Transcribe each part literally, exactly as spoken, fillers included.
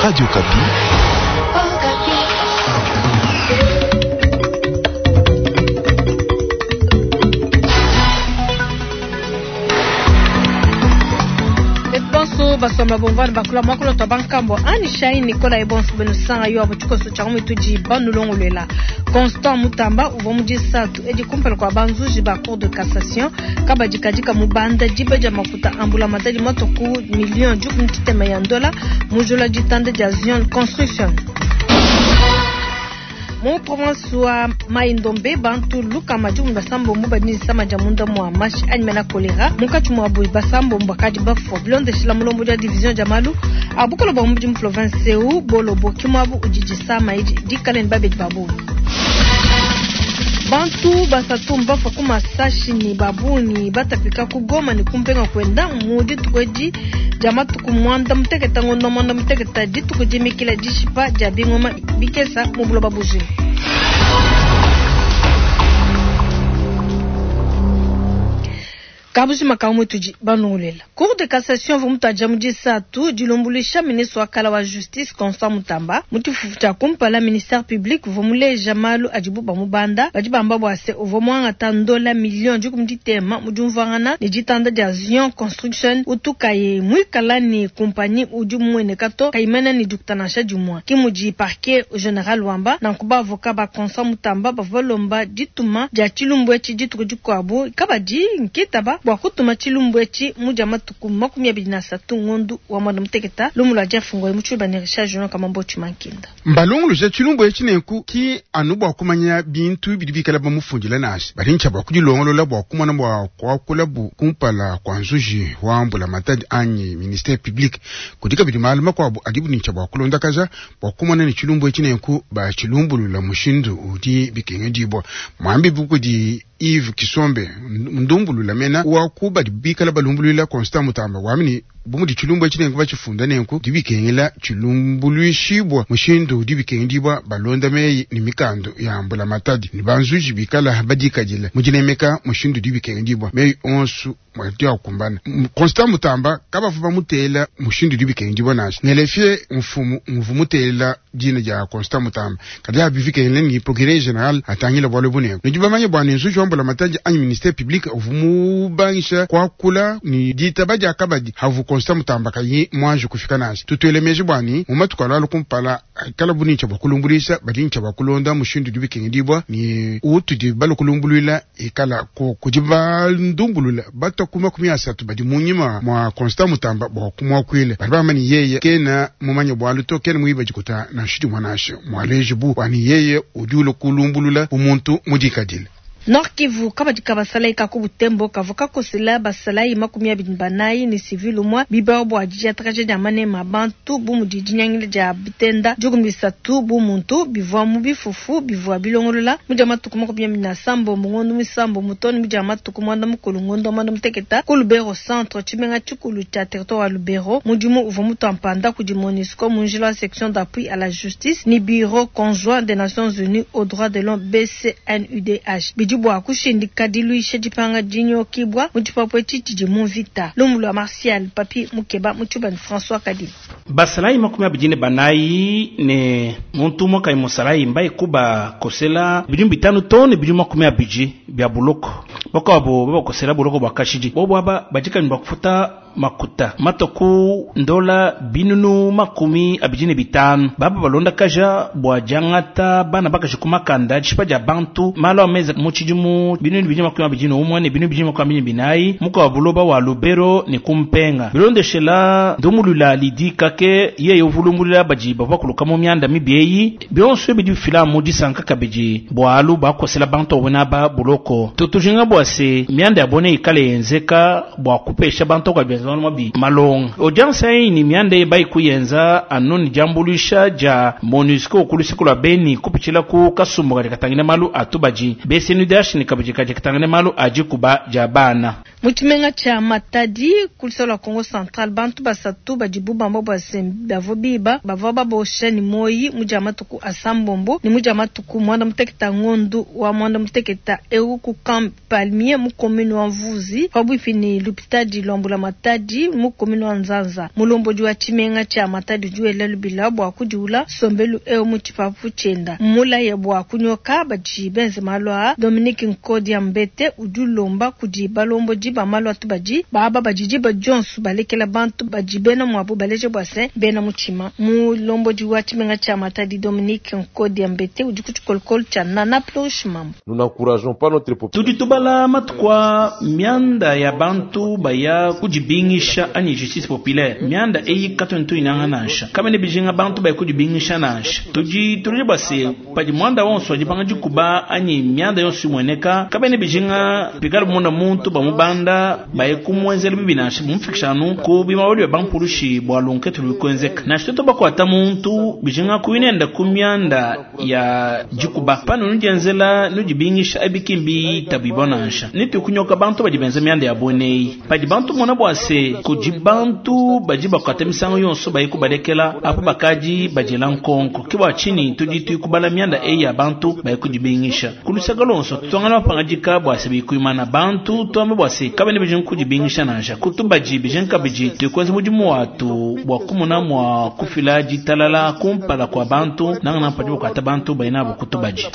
Radio Okapi. Bonso basomba bomvana bakula mwakula twa bankambo ani shai nikola ebonso beno sanga yo abo tshikoso tshia mitudi banulongolwela Constant Mutamba uvua mu disatu edi kumpala kua banzuji ba cour de cassation kabadikadika mubanda diba dia makuta ambula matadi matuku million dikumi tshitema ya ndola mujula ditanda dia Zion Construction mu province wa Mai-Ndombe bantu lukama dikumi basambombo badi ne disama dia munda mua mashi anyi mena kolera munkatshi muabu basambombo bakadi bafua bilondeshila mulombo dia division dia malu a bukolo bua mubidi mu province eu bolobo ke muabu udi disama edi dikale ne babedi ba bungi. Bantu basatu mbafua ku masashi ne babungi batapika ku Goma ne kumpenga kwenda mu dituku edi dia matuku mwanda muteketa ngondo mwanda muteketa dituku dimikila dishipa dia bingoma bikesa mu buloba bujima. Kabujima ka mutudi banungulela. Cour de cassation uvua mutaja mu disatu dilombolisha ministre wa kala wa justice Constant Mutamba mu tshifufu tshia kumpala ministère public uvua muleja malu adibu bamubanda badi bamba bua se uvua muangata ndola million dikumi ditema mu diumvuangana ne ditanda dia Zion Construction utukaye muikala ne kumpanyi udi mumueneka to kayimena ne dikuta nansha dimue ke mudi parquet general wamba nanku bavoka ba Constant Mutamba bavua balomba dituma dia tshilumbu etshi dituku dikuabu kabadi nkitaba bua kutuma tshilumbu etshi mu dia matuku makumi abidi na asatu ngondu wa mwanda muteketa lumu lua diafungo mu tshiluba ne Richard Junior Kamambo Tshimankinda. Mbalongoloja tshilumbu etshi nenku ki anu bua kumanya bintu bidi bikala bamufundila nansha badi ntshia bua kudilongolola bua kumona bua kuakula bu kumpala kua nzuji wa mbulamatadi anyi ministère public kudi kabidi malu makuabu adibu ne ntshia bua kulondakaja bua kumona ne tshilumbu etshi nenku batshilumbulula mushindu udi bikengedibua mwambi bukudi Yves Kisombe ndumbulula mena wa kuba bikala balumbulula Constant Mutamba wamini bumudi tshilumbu etshi nenku batshifunda nenku dibikengela tshilumbuluishibwa mushindu dibikengedibwa balonda meyi ne mikando ya mbulamatadi ne banzuji bikala badikadila mudinemeka mushindu dibikengedibwa meyi onsu mwati akumbana Constant Mutamba kabavu bamutela mushindu dibikengedibwa nansha ngelefye mfumu mvu mutela dina dia Constant Mutamba kadi abivikengele ni procureur général atangila bwalo bunenku nidi bamanye bwa ne nzuji wa mbulamatadi anyi ministère public uvu mubangisha kuakula ni ditaba dia kabadi havu Constant Mutamba kayi mwanje kufika nansha tutwele bwani mu matuku alalo kumpala kala bunincha bwa kulumbulisa badincha bwa kulonda mushindu dibikengedibwa ni utudi balukulumbulula ikala ko kudi bandumbulula batakuma makumi asatu badi munyima mwa Constant Mutamba bwa kumwakwile bali bamani yeye kena mumanya bwalu to kena muiba jikuta na nshidi mwanashe mwaleje bu wani yeye udi ukulumbulula umuntu mudikadile. Nord Kivu kabadi kabasalai kaku Butembo kavua kakosela basalai makumi abidi banayi ne civil umue bibao bua didiatakaja dia manema bantu bu mudi dinyangila dia bitenda dikumi bisatu bu muntu bivua mu bifufu bivua bilongolola mu dia matuku makumi abidi na sambo ngondo misambo mutoni mu dia matuku mwanda mukulu ngondo mwanda muteketa ku Lubero centre tshimenga tshikulu tshia territoire wa Lubero mudimu uvua mutuampanda kudi MONUSCO mu njila wa section d'appui à la justice ni bureau conjoint des Nations Unies aux droits de l'homme B C N U D H bua kushindika diluisha dipanga dinyokibwa mu tshipapu etshi tshidi mu mvita lumu lua Martial Papi Mukeba mu tshiluba ne François Kadima. Basalayi makumi abidi ne banayi ne muntu umue kayi musalayi mbayi kuba kosela bidimu bitanu to ne bidimu makumi abidi bia buloko bakuabu babakosela buloko bua kashidi bobo aba badikani bua kufuta makuta matoku ndola binunu makumi abidi ne bitanu baba balonda kaja bua diangata bana bakaji kumakanda dishipa dia bantu malu ameza mu tshidimu binunu bidi makumi abidi ne umue ne binunu bidi makumi abidi ne binayi muka wa buloba wa Lubero ne kumpenga bilondeshela ndumulula lidi kake yeye uvulumbulula badi bavua kuluka mu mianda mibi bionso bidi bifila mu disanka kabidi bualu bakosela bantu abona ba buloko tutujinga bua se mianda ya bone ikale yenzeka bua kupesha bantu kwa malonga audience ayi ni mianda bayi kuyenza anu ni diambuluisha dia MONUSCO kulusiku lwa Beni kupitshila ku kasumbu kadi katangile malu atubaji B C N U D H ni kabidi kadi katangile malu aji kuba dia bana Mu tshimenga tshia Matadi ku luseke lua Congo Central bantu basatu badibu bamba bua se bavua biba bavua babosha ne moyi mu dia matuku asambombo ne mu dia matuku mwanda muteketa ngondu wa mwanda muteketa eu ku Camp Palmier mu commune wa Mvuzi pabuipi ne lupitadi lwa mbulamatadi Matadi mu commune wa Nzanza. Mulombodi wa tshimenga tshia Matadi udi wela lubila bua kudiula nsombelu eu mu tshipapu tshienda. Mmulaye bua kunyoka badi benze malu aa. Dominique Nkodia Mbete udi ulomba kudi balombodi ba malu atu badi baaba badi diba dionso balekela bantu badi bena muabu baleje bua se bena mutshima. Mulombodi wa tshimenga tshia Matadi Dominique Nkodia Mbete udi ku tshikolokolo tshia Nana Plosh Mambo. Nous n'encourageons pas notre population. Tudi tubala matuku a mianda ya bantu baya kudibingisha anyi justice populaire. Mianda eyi katuntu inanga nansha. Kamene bijinga bantu baya kudibingisha nansha. Tudi tudi base padi mwanda wonso adipanga dikuba anyi mianda yonso imweneka. Kamene bijinga pikala munda muntu bamubanda baye kumwenzela bibi nansha mumfikishanu ku bimawali bya bampulushi bwa lunketu lukwenzeka. Nansha tuto bakwata muntu bijinga kuinenda ku mianda ya dikuba. Pano nudienzela nudibingisha abikimbi tabibo nansha. Nitu kunyoka bantu badi benza mianda ya bonei. Padi bantu mona bwase kudi bantu badi bakwata misango yonso baye kubalekela apo bakadi badila nkonko. Kiba chini tudi tuikubala mianda eyi ya bantu baye kudibingisha. Kulusaka lonso tutongana pangadika bwase bikuimana bantu tuambe bwase kabene bijinga kudibingisha nansha. Kutubaji bijinga biji tukwenza mudimu watu bwa kumuna mwa kufila ditalala kumpala kwa bantu nangana padi bakwata bantu bainabo kutubaji.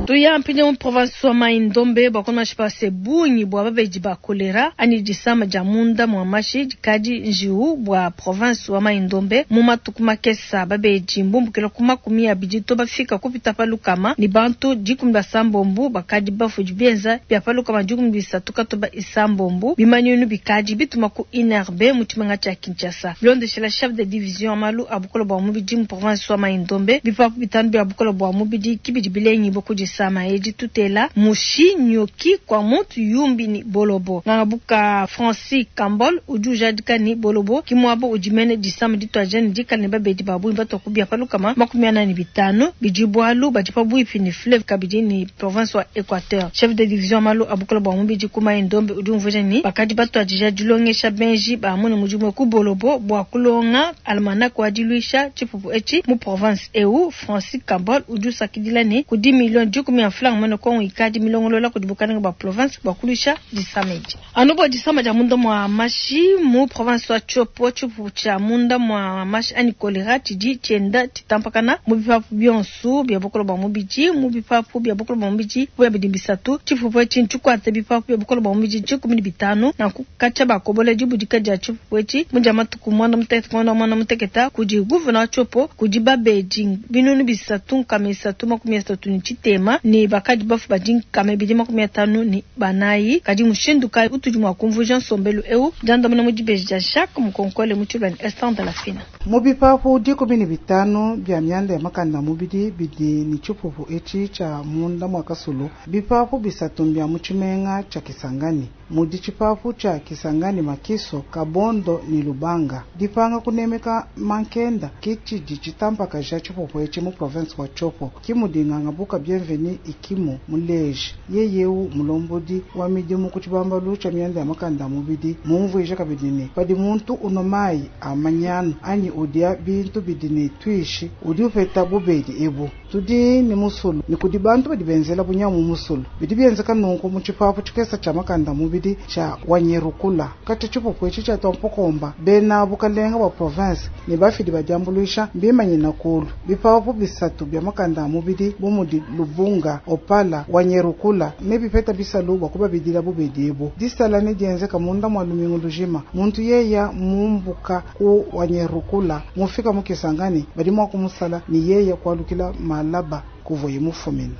Tuya mpinye mu province wa Mai-Ndombe bakona shipase bungi bwa babeji ba kolera ani disama ja munda mwa mashi dikadi njiu bwa province wa Mai-Ndombe mu matuku makesa babeji mbumbukila ku makumi abidi to bafika kupita pa lukama ni bantu dikumi basambombu bakadi bafu bienza bya pa lukama dikumi bisatu katoba isambombu bimanyinu bikadi bituma ku I N R B mu tshimenga tshia Kinshasa. Bilondeshela chef de division malu abukola bwa mubidi mu province wa Mai-Ndombe bipapu bitanu bya bukola bwa mubidi kibidi bilengi boku sama edi tutela mushi nyoki kwa muntu yumbi ni bolobo. Ngangabuka Francis Kambol udi ujadika ni bolobo kimwabo udimene disama ditwaja ni dikala ne babedi babu imbato kubia palukama makumi anani bitano bijibwalu badi pabuipi ni fleuve kabidi ni province wa Equateur. Chef de division malu abukola bwa mubidi kuma Ndombe udi umvuja ni bakadi batwajija dilongesha benji ba mune mujumwe ku bolobo bwa kulonga almanak wa diluisha tshipupu echi mu province eu. Francis Kambol udi usakidila ni kudi million dikumi ya franc mwana kongo ikadi milongolola kudibukana ba province bwa kulisha disamedi. Anobo disama ja munda mwa mashi mu province wa Tshopo tshipupu tshia munda mwa mashi ani kolera tshidi tshienda tshitampakana mu bipapu bionso bya bukolo bwa mubidi mu bipapu bya bukolo bwa mubidi bya bidi bisatu tshipupu etshi ntshikwate bipapu bya bukolo bwa mubidi dikumi ne bitanu na kukatsha bakobola dibudika dia tshipupu etshi mu dia matuku mwana mutekete mwana mwana muteketa kudi gouverneur wa Tshopo kudi babedi binunu bisatu nkama isatu makumi asatu ne tshitema ni bakadi bafu badi nkama ibidi makumi atanu ni banayi kadi mushindu kayi utudi mua kumvuja nsombelu eu jandamuna mu dibeji dia Jacques Mukonkole mu tshilwani Esther de la Fina. Mu bipapu dikumi ne bitanu bya mianda ya makanda mubidi bidi ni tshipupu etshi tshia munda mwa kasulu bipapu bisatu mbya mu tshimenga tshia Kisangani mudi tshipapu tshia Kisangani Makiso Kabondo ni Lubanga dipanga kunemeka mankenda kitshidi tshitampakaja tshipupu etshi mu province wa Tshopo kimudinganga buka bienveni ikimu muleji yeyeu mulombodi wa midimu ku tshibambalu tshia mianda ya makanda mubidi mumvuija kabidi ne padi muntu unwa mayi amanyanu anyi udia bintu bidi ne twishi udi upeta bubedi ebu tudi ni musulu ni kudi bantu badi benzela bunyamu musulu bidi bienzeka nunku mu tshipapu tshikesa tshia makanda mubidi tshia Wanyerukula kati tshipupu etshi tshia twampokomba bena bukalenga bwa province ne bafidi badiambuluisha mbimanyina kulu bipapu bisatu bya makanda mubidi bumudi Lubunga Opala Wanyerukula ne bipeta bisalu bwa kubabidila bubedi ebu disala ne dienzeka munda mwa lumingu lujima muntu yeya mumbuka ku Wanyerukula mufika mu Kisangani badi mwa kumusala ni yeya kwalukila malaba kuvoye mufumina.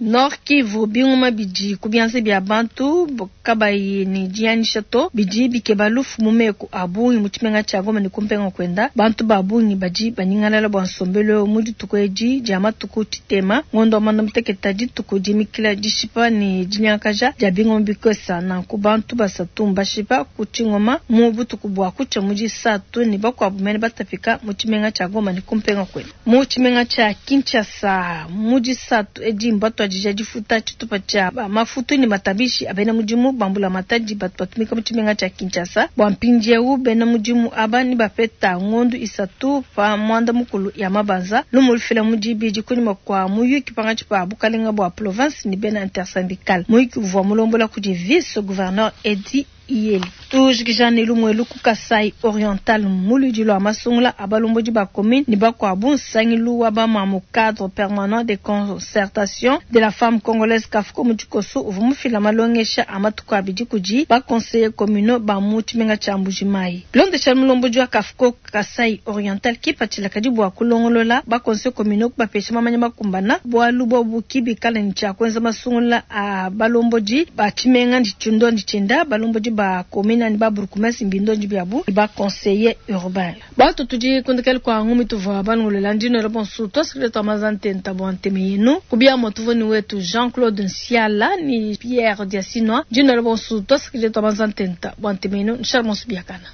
Nord Kivu bingoma bidi kubianze bya bantu kabayi ni dianisha to bidi bikeba lufu mumeku abungi mu tshimenga tshia Goma ne kumpenga kwenda bantu babungi badi banyingalala bwa nsombelo mu dituku edi dia matuku tshitema ngondo wa manda muteketa dituku dimikila dishipa ne dinyakaja dia bingoma bikosa nanku bantu basatu mbashipa ku tshingoma mu butuku bwa kutsha mu disatu ne bakuabu mene batapika mu tshimenga tshia Goma ne kumpenga kwenda mu tshimenga tshia Kinshasa mu disatu edi mbatu kutuadija difuta tshitupa tshia mafutu ne matabishi a bena mudimu ba mbulamatadi batu batumika mu tshimenga tshia Kinshasa. Bua mpindieu bena mudimu aba ne bapeta ngondu isatu pa muanda mukulu ya mabanza. Lumu lufila mu dibidi kunyima kua muyuki pankatshi pa bukalenga bua province ne bena intersyndical. Muyuki uvua mulombola kudi vice gouverneur Eddy Iyeli. Tujikija ne lumuelu ku Kasai Oriental mu luidi lua masungula a balombodi ba commune ne bakuabu nsangilu wa bamamu cadre permanent de concertation de la femme congolaise CAFCO mu tshikoso uvua mufila malongesha a matuku abidi kudi ba conseillers communaux ba mu tshimenga tshia Mbuji-Mayi. Bilondeshile mulombodi wa CAFCO Kasai Oriental kipatshila kadi bua kulongolola ba conseillers communaux kubapesha mamanya makumbana bualu bobu kibikala ne tshia kuenza masungula a balombodi ba tshimenga ndi tshindondi tshienda balombodi ba commune ni ba bourgmestre mbindondi biabu ba conseiller urbain. Batu tudi kundekele kwa ngumi tuvua balongolola ndino bonsu twasikile twa mazantenta bwa nteme yenu kubia motuvoni wetu Jean-Claude Nsiala ni Pierre Diasinwa ndino bonsu twasikile twa mazantenta bwa nteme yenu nshala bonsu biakana.